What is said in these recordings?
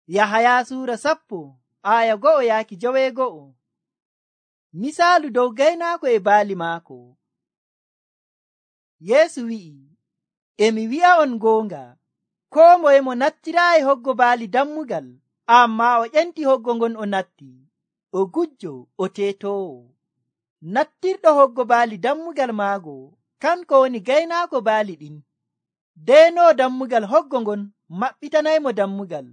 Yahaya suura 10:1-9. Misaalu dow gaynaako e baali maako. Yeesu wi'i, e mi wi'a'on goonga, koo moye mo nattiraayi hoggo baali dammugal, ammaa o ƴenti hoggo ngon o natti, o gujjo, o teetoowo. Nattirɗo hoggo baali dammugal maago, kanko woni gaynaako baali ɗin. Deenoo dammugal hoggo ngon maɓɓitanaymo dammugal.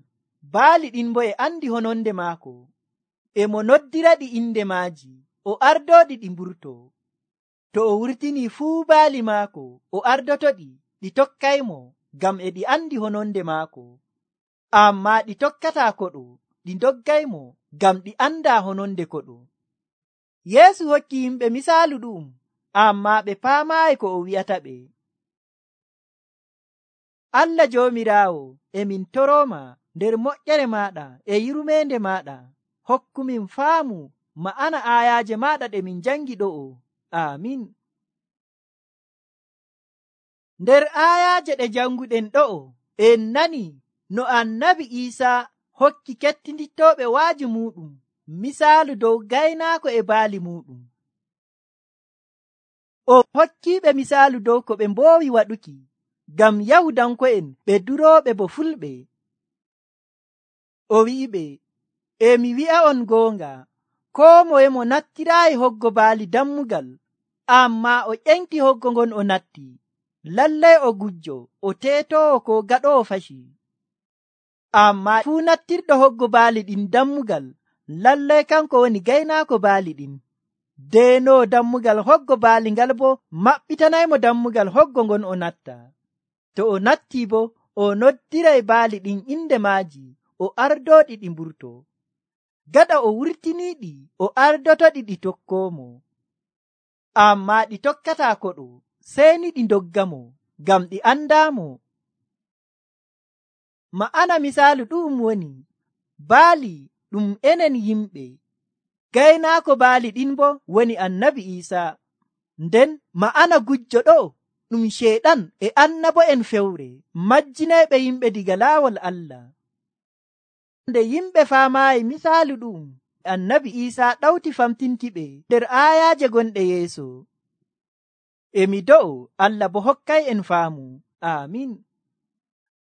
Baali ɗin bo e andi hononde maako, e mo noddiraɗi inde maaji, o ardooɗi ɗi mburtoo. To o wurtinii fuu baali maako, o ardotoɗi, ɗi tokkaymo, ngam e ɗi andi hononde maako. Ammaa ɗi tokkataa koɗo, ɗi ndoggaymo, ngam ɗi andaa hononde koɗo. Yeesu hokki yimɓe misaalu ɗu'um, ammaa ɓe paamaayi ko o wi'ataɓe. Allah Joomiraawo, e min torooma nder moƴƴere maaɗa e yurmeende maaɗa, hokkumin faamu ma'ana aayaaje maaɗa ɗe min jangi ɗo'o. Aamin. Nder aayaaje ɗe janguɗen ɗo'o, en nani no Annabi Iisaa hokki kettinittooɓe waaji muuɗum misaalu dow gaynaako e baali muuɗum. O hokkiiɓe misaalu dow ko ɓe mboowi waɗuki, ngam Yahudanko'en ɓe durooɓe bo fulɓe. O wi'iɓe, e mi wi'a'on goonga, koo moye mo nattiraayi hoggo baali dammugal, ammaa o ƴenti hoggo ngon o natti, lallay o gujjo, o teetoowo ko gaɗoowo fashi. Ammaa fuu nattirɗo hoggo baali ɗin dammugal, lallay kanko woni gaynaako baali ɗin. Deenoo dammugal hoggo baali ngal bo maɓɓitanaymo dammugal hoggo ngon o natta. To o nattii bo, o noddiray baali ɗin inde maaji, o ardooɗi ɗi mburtoo. Gaɗa o wurtiniiɗi, o ardotoɗi ɗi tokkoomo. Ammaa ɗi tokkataa koɗo, sey ni ɗi ndoggamo, ngam ɗi andaamo. Ma'ana misaalu ɗu'um woni, baali ɗum enen yimɓe, gaynaako baali ɗin bo woni Annabi Iisaa. Nden ma'ana gujjo ɗo ɗum Sheeɗan e annabo'en fewre majjinayɓe yimɓe diga laawol Allah. Nde yimɓe faamaayi misaalu ɗu'um, Annabi Iisaa ɗawti famtinkiɓe nder aayaaje gonɗe yeeso. E mi do'o Allah bo hokkay en faamu. Aamin.